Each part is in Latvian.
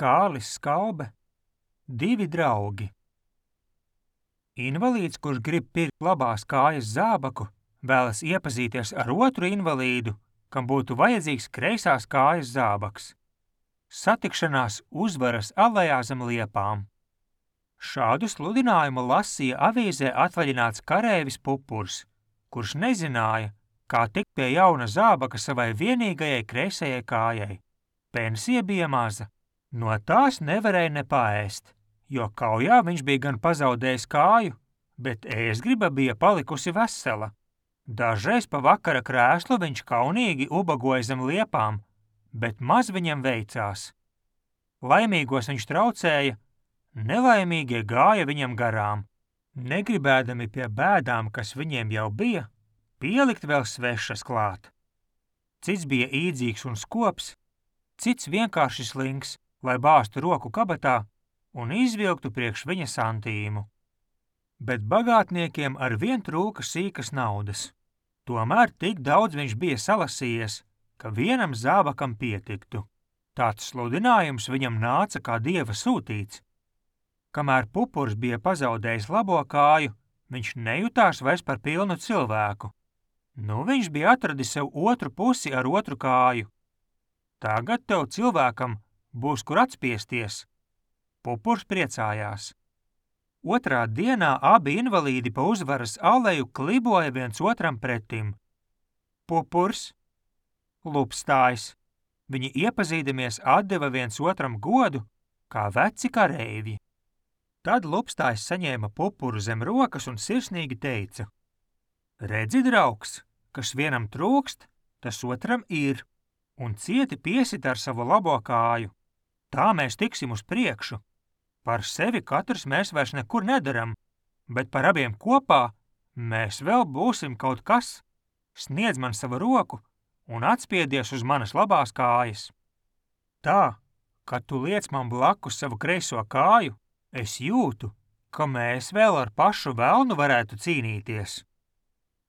Kārlis Skalbe, divi draugi. Invalīds, kurš grib pirkt labās kājas zābaku, vēlas iepazīties ar otru invalīdu, kam būtu vajadzīgs kreisās kājas zābaks. Satikšanās Uzvaras alejā zem liepām. Šādu sludinājumu lasīja avīzē atvaļināts kareivis Pupurs, kurš nezināja, kā tikt pie jauna zābaka savai vienīgajai kreisajai kājai. Pensija bija maza, no tās nevarēja ne paēst, jo kaujā viņš bija gan pazaudējis kāju, bet ēstgriba bija palikusi vesela. Dažreiz pa vakara krēslu viņš kaunīgi ubagoja zem liepām, bet maz viņam veicās. Laimīgos viņš traucēja, nelaimīgie gāja viņam garām, negribēdami pie bēdām, kas viņiem jau bija, pielikt vēl svešas klāt. Cits bija īdzīgs un skops, cits vienkārši slinks, lai bāztu roku kabatā un izvilktu priekš viņa santīmu. Bet bagātniekiem arvien trūka sīkas naudas. Tomēr tik daudz viņš bija salasījies, ka vienam zābakam pietiktu. Tāds sludinājums viņam nāca kā dieva sūtīts. Kamēr Pupurs bija pazaudējis labo kāju, viņš nejutās vairs par pilnu cilvēku. Nu viņš bija atradis sev otru pusi ar otru kāju. Tagad tev cilvēkam būs kur atspiesties. Pupurs priecājās. Otrā dienā abi invalīdi pa Uzvaras aleju kliboja viens otram pretim. Pupurs, Lupstājs. Viņi iepazīdamies atdeva viens otram godu, kā veci kareivji. Tad Lupstājs saņēma Pupuru zem rokas un sirsnīgi teica: Redzi, draugs, kas vienam trūkst, tas otram ir, un cieti piesit ar savu labo kāju. Tā mēs tiksim uz priekšu. Par sevi katrs mēs vairs nekur nedaram, bet par abiem kopā mēs vēl būsim kaut kas. Sniedz man savu roku un atspiedies uz manas labās kājas. Tā, kad tu liec man blakus savu kreiso kāju, es jūtu, ka mēs vēl ar pašu velnu varētu cīnīties.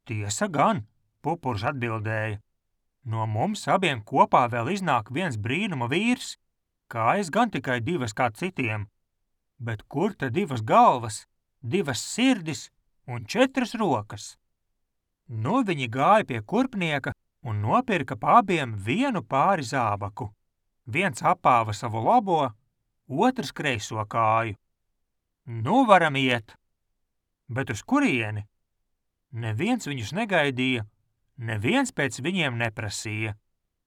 Tiesa gan, Pupurs atbildēja. No mums abiem kopā vēl iznāk viens brīnuma vīrs, kājas gan tikai divas kā citiem. Bet kur te divas galvas, divas sirdis un 4 rokas? Nu viņi gāja pie kurpnieka un nopirka pa abiem vienu pāri zābaku. Viens apāva savu labo, otrs kreiso kāju. Nu varam iet. Bet uz kurieni? Neviens viņus negaidīja, neviens pēc viņiem neprasīja.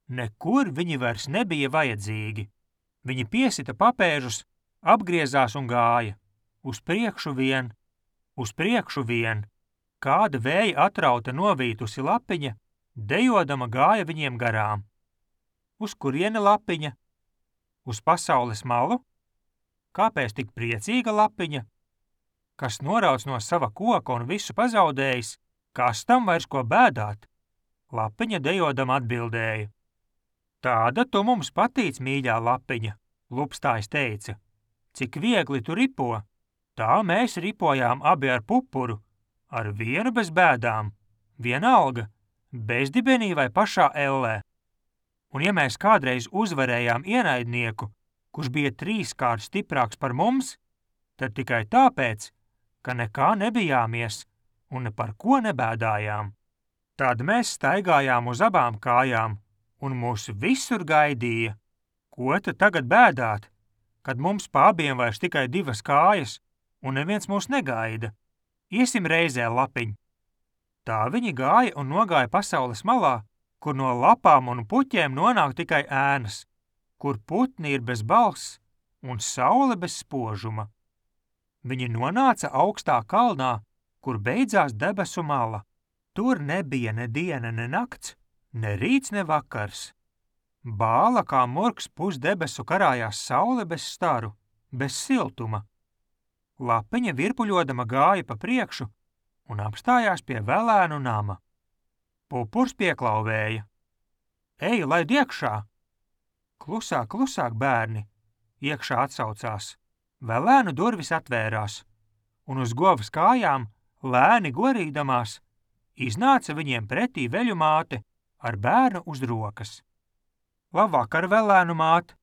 Nekur viņi vairs nebija vajadzīgi. Viņi piesita papēžus, apgriezās un gāja. Uz priekšu vien, uz priekšu vien. Kāda vēja atrauta novītusi lapiņa, dejodama gāja viņiem garām. Uz kurieni lapiņa? Uz pasaules malu? Kāpēc tik priecīga lapiņa? Kas norauc no sava koka un visu pazaudējis, kas tam vairs ko bēdāt? Lapiņa dejodama atbildēja. Tāda tu mums patīc, mīļā lapiņa, Lupstājs teica. Cik viegli tu ripo, tā mēs ripojām abi ar Pupuru, ar vienu bez bēdām, vienalga, bezdibenī vai pašā ellē. Un ja mēs kādreiz uzvarējām ienaidnieku, kurš bija 3-kārt stiprāks par mums, tad tikai tāpēc, ka nekā nebijāmies un ne par ko nebēdājām. Tad mēs staigājām uz abām kājām un mūs visur gaidīja. Ko tad tagad bēdāt, kad mums pa abiem vairs tikai 2 kājas un neviens mūs negaida? Iesim reizē, lapiņ. Tā viņi gāja un nogāja pasaules malā, kur no lapām un puķiem nonāk tikai ēnas, kur putni ir bez balss un saule bez spožuma. Viņi nonāca augstā kalnā, kur beidzās debesu mala. Tur nebija ne diena, ne nakts, ne rīts, ne vakars. Bāla kā murgs pusdebesu karājās saule bez staru, bez siltuma. Lapiņa virpuļodama gāja pa priekšu un apstājās pie velēnu nama. Pupurs pieklauvēja. Ej, laid iekšā! Klusāk, klusāk, bērni! Iekšā atsaucās. Velēnu durvis atvērās, un uz govas kājām, lēni gorīdamās, iznāca viņiem pretī veļu māte ar bērnu uz rokas. Labvakar, velēnu māte!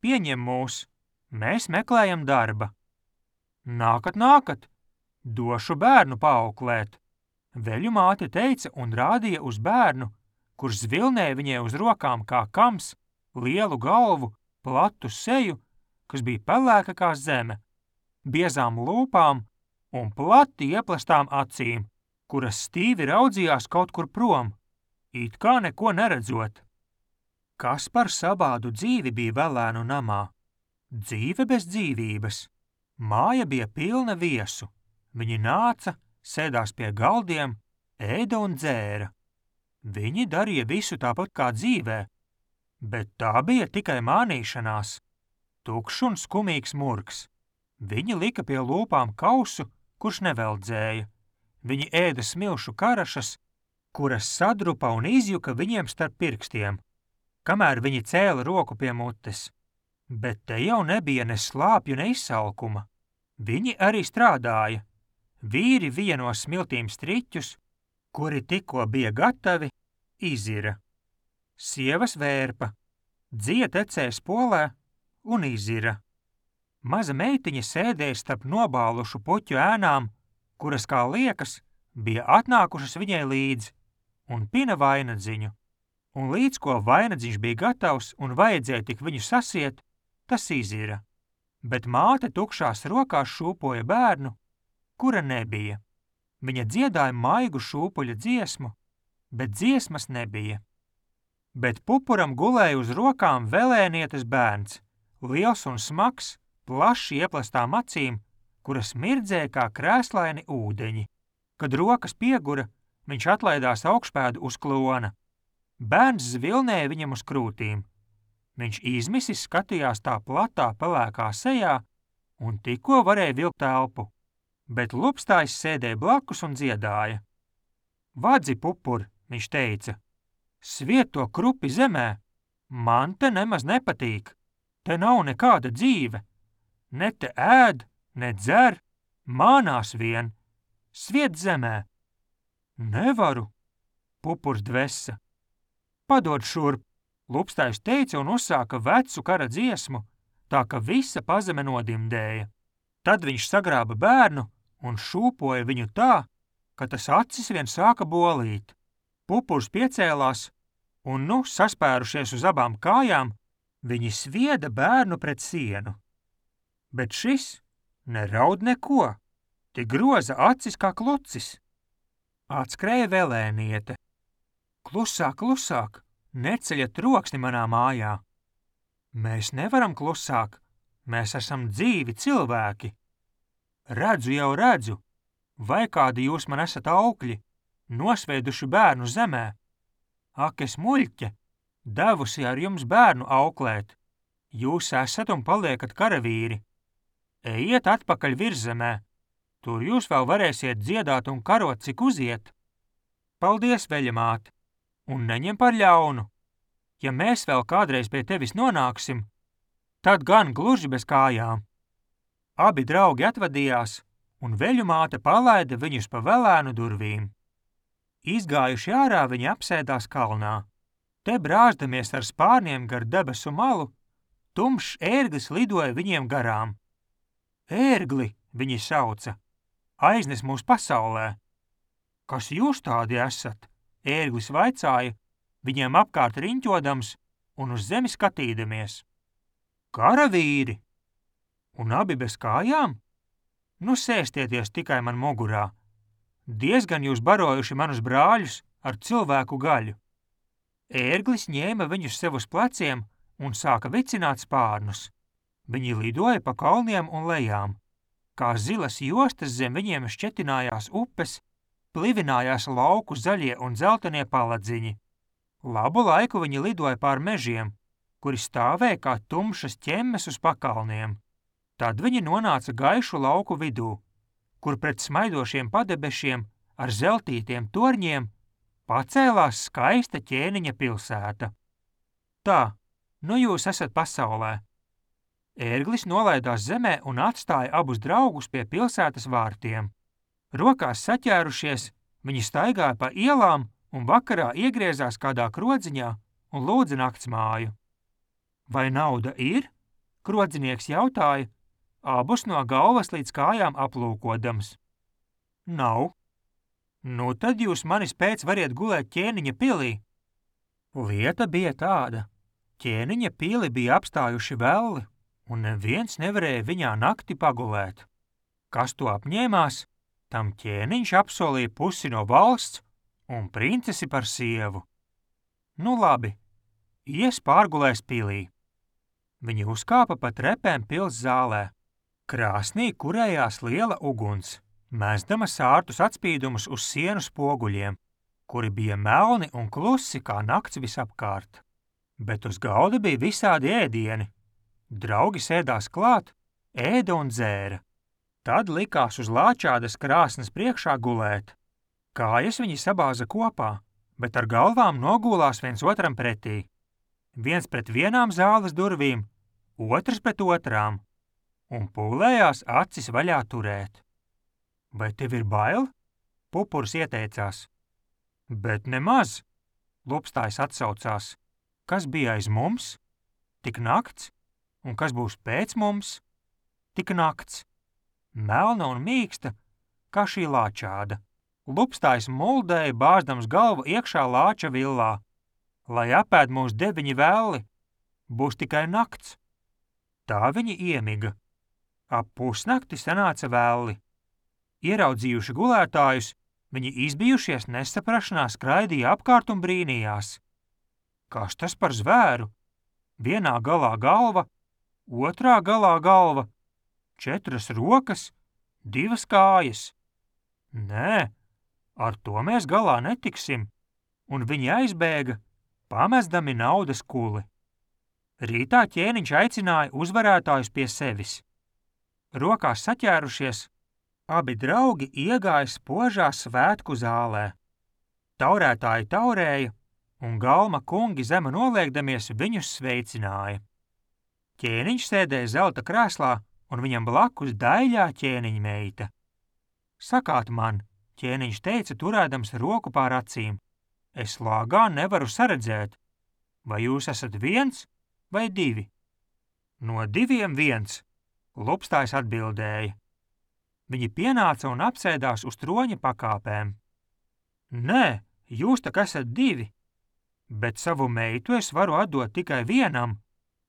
Pieņem mūs, Mēs meklējam darba. Nākat, došu bērnu paauklēt. Veļu māte teica un rādīja uz bērnu, kurš zvilnēja viņai uz rokām kā kams, lielu galvu, platu seju, kas bija pelēka kā zeme, biezām lūpām un plati ieplastām acīm, kuras stīvi raudzījās kaut kur prom, it kā neko neredzot. Kas par savādu dzīvi bija Velēnu namā? Dzīve bez dzīvības. Māja bija pilna viesu. Viņi nāca, sēdās pie galdiem, ēda un dzēra. Viņi darīja visu tāpat kā dzīvē, bet tā bija tikai mānīšanās. Tukšs un skumīgs murgs. Viņi lika pie lūpām kausu, kurš neveldzēja. Viņi ēda smilšu karašas, kuras sadrupa un izjuka viņiem starp pirkstiem, kamēr viņi cēla roku pie mutes. Bet te jau nebija ne slāpju, ne izsalkuma. Viņi arī strādāja. Vīri vija no smiltīm striķus, kuri tikko bija gatavi, izira. Sievas vērpa, dzija tecēja spolē un izira. Maza meitiņa sēdēja starp nobālušu puķu ēnām, kuras, kā liekas, bija atnākušas viņai līdzi, un pina vainadziņu. Un līdz ko vainadziņš bija gatavs un vajadzēja tik viņu sasiet, tas izira. Bet māte tukšās rokās šūpoja bērnu, kura nebija. Viņa dziedāja maigu šūpuļa dziesmu, bet dziesmas nebija. Bet pupuram gulēja uz rokām velēnietes bērns, liels un smags, plaši ieplastām acīm, kuras mirdzēja kā krēslaini ūdeņi. Kad rokas piegura, viņš atlaidās augšpēdu uz klona. Bērns zvilnēja viņam uz krūtīm. Viņš izmisis skatījās tā platā pelēkā sejā un tikko varēja vilkt elpu, bet lupstājs sēdēja blakus un dziedāja. Vadzi, pupur, viņš teica, sviet to krupi zemē, man te nemaz nepatīk, te nav nekāda dzīve, ne te ēd, ne dzer, mānās vien, sviet zemē. Nevaru, pupurs dvesa. Padod šurp, lupstājs teica un uzsāka vecu kara dziesmu, tā ka visa pazeme nodimdēja. Tad viņš sagrāba bērnu un šūpoja viņu tā, ka tas acis vien sāka bolīt. Pupurs piecēlās un, saspērušies uz abām kājām, viņi svieda bērnu pret sienu. Bet šis neraud neko, tik groza acis kā klucis. Atskrēja velēniete. Klusāk, klusāk, neceļat troksni manā mājā. Mēs nevaram klusāk, mēs esam dzīvi cilvēki. Redzu, vai kādi jūs man esat aukļi, nosveiduši bērnu zemē. Ak, es muļķe, devusi ar jums bērnu auklēt. Jūs esat un paliekat karavīri. Ejiet atpakaļ virzemē, tur jūs vēl varēsiet dziedāt un karot, cik uziet. Paldies, veļamāte, un neņem par ļaunu. Ja mēs vēl kādreiz pie tevis nonāksim, tad gan gluži bez kājām. Abi draugi atvadījās, un veļumāte palaida viņus pa Velēnu durvīm. Izgājuši ārā, viņi apsēdās kalnā. Te brāzdamies ar spārniem gar debesu malu, tumšs ērglis lidoja viņiem garām. Ērgli, viņi sauca, aiznes mūs pasaulē. Kas jūs tādi esat? Ērglis vaicāja, viņiem apkārt riņķodams un uz zemi skatīdamies. Karavīri! Un abi bez kājām? Sēstieties tikai man mugurā. Diezgan jūs barojuši manus brāļus ar cilvēku gaļu. Ērglis ņēma viņus sev uz pleciem un sāka vicināt spārnus. Viņi lidoja pa kalniem un lejām. Kā zilas jostas zem viņiem šķetinājās upes, plivinājās lauku zaļie un dzeltenie paladziņi. Labu laiku viņi lidoja pār mežiem, kuri stāvēja kā tumšas ķemmes uz pakalniem. Tad viņi nonāca gaišu lauku vidū, kur pret smaidošiem padebešiem ar zeltītiem torņiem pacēlās skaista ķēniņa pilsēta. Tā, jūs esat pasaulē. Ērglis nolaidās zemē un atstāja abus draugus pie pilsētas vārtiem. Rokās saķērušies, viņi staigāja pa ielām un vakarā iegriezās kādā krodziņā un lūdza naktsmāju. Vai nauda ir? Krodzinieks jautāja, abus no galvas līdz kājām aplūkodams. Nav. Nu tad jūs manis pēc variet gulēt Ķēniņa pilī. Lieta bija tāda. Ķēniņa pili bija apstājuši velli, un neviens nevarēja viņā nakti pagulēt. Kas to apņēmās, tam ķēniņš apsolīja pusi no valsts un princesi par sievu. Nu labi, ies pārgulēs pilī. Viņi uzkāpa pa trepēm pils zālē. Krāsnī kurējās liela uguns, mēsdama sārtus atspīdumus uz sienu spoguļiem, kuri bija melni un klusi kā nakts visapkārt. Bet uz galda bija visādi ēdieni. Draugi sēdās klāt, ēda un dzēra. Tad likās uz lāčādas krāsnes priekšā gulēt. Kājas viņi sabāza kopā, bet ar galvām nogulās viens otram pretī. Viens pret vienām zāles durvīm, otrs pret otrām, un pūlējās acis vaļā turēt. Vai tev ir bail? Pupurs ieteicās. Bet nemaz, Lupstājs atsaucās. Kas bija aiz mums? Tik nakts, un kas būs pēc mums? Tik nakts. Melna un mīksta, kā šī lāčāda. Lupstājs muldēja, bāzdams galvu iekšā lāča villā. Lai apēd mūs 9 velli, būs tikai nakts. Tā viņi iemiga. Ap pusnakti sanāca velli. Ieraudzījuši gulētājus, viņi izbijušies nesaprašanā skraidīja apkārt un brīnījās. Kas tas par zvēru? Vienā galā galva, otrā galā galva, 4 rokas, 2 kājas. Nē, ar to mēs galā netiksim, un viņi aizbēga, pamestami naudas kuli. Rītā ķēniņš aicināja uzvarētājus pie sevis. Rokās saķērušies, abi draugi iegāja spožā svētku zālē. Taurētāji taurēja, un galma kungi zema noliekdamies viņus sveicināja. Ķēniņš sēdēja zelta krēslā, un viņam blakus daļā ķēniņa meita. Sakāt man, ķēniņš teica, turēdams roku pār acīm, es lāgā nevaru saredzēt, vai jūs esat 1 vai 2? No 2 1, Lupstājs atbildēja. Viņi pienāca un apsēdās uz troņa pakāpēm. Nē, jūs tak esat 2, bet savu meitu es varu atdot tikai vienam.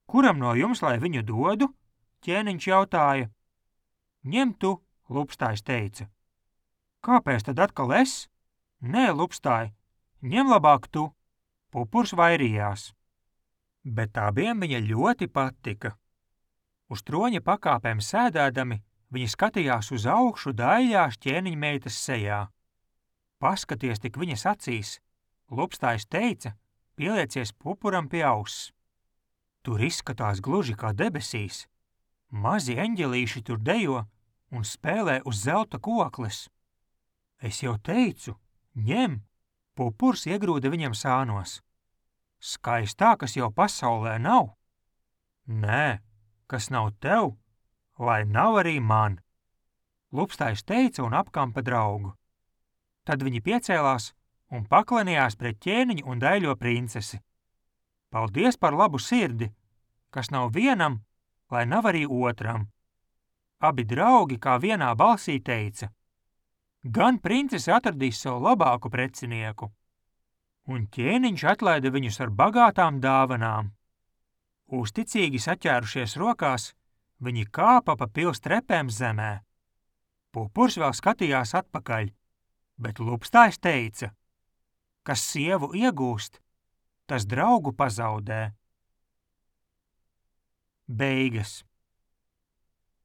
Kuram no jums, lai viņu dodu? Ķēniņš jautāja. Ņem tu, Lupstājs teica. Kāpēc tad atkal es? Nē, Lupstāj, ņem labāk tu. Pupurs vairījās. Bet abiem viņa ļoti patika. Uz troņa pakāpēm sēdēdami, viņi skatījās uz augšu daļās ķēniņa meitas sejā. Paskaties tik viņas acīs, Lupstājs teica, pieliecies pupuram pie auss. Tur izskatās gluži kā debesīs. Mazi eņģelīši tur dejo un spēlē uz zelta kokles. Es jau teicu, ņem, pupurs iegrūda viņam sānos. Skaistā, kas jau pasaulē nav. Nē, kas nav tev, lai nav arī man. Lupstājs teica un apkampa draugu. Tad viņi piecēlās un paklanījās pret ķēniņu un daļo princesi. Paldies par labu sirdi, kas nav vienam, lai nav arī otram. Abi draugi kā vienā balsī teica. Gan princese atradīs savu labāku precinieku. Un ķēniņš atlaida viņus ar bagātām dāvanām. Uzticīgi saķērušies rokās, viņi kāpa pa pils trepēm zemē. Pupurs vēl skatījās atpakaļ, bet Lupstājs teica, kas sievu iegūst, tas draugu pazaudē. Beigas.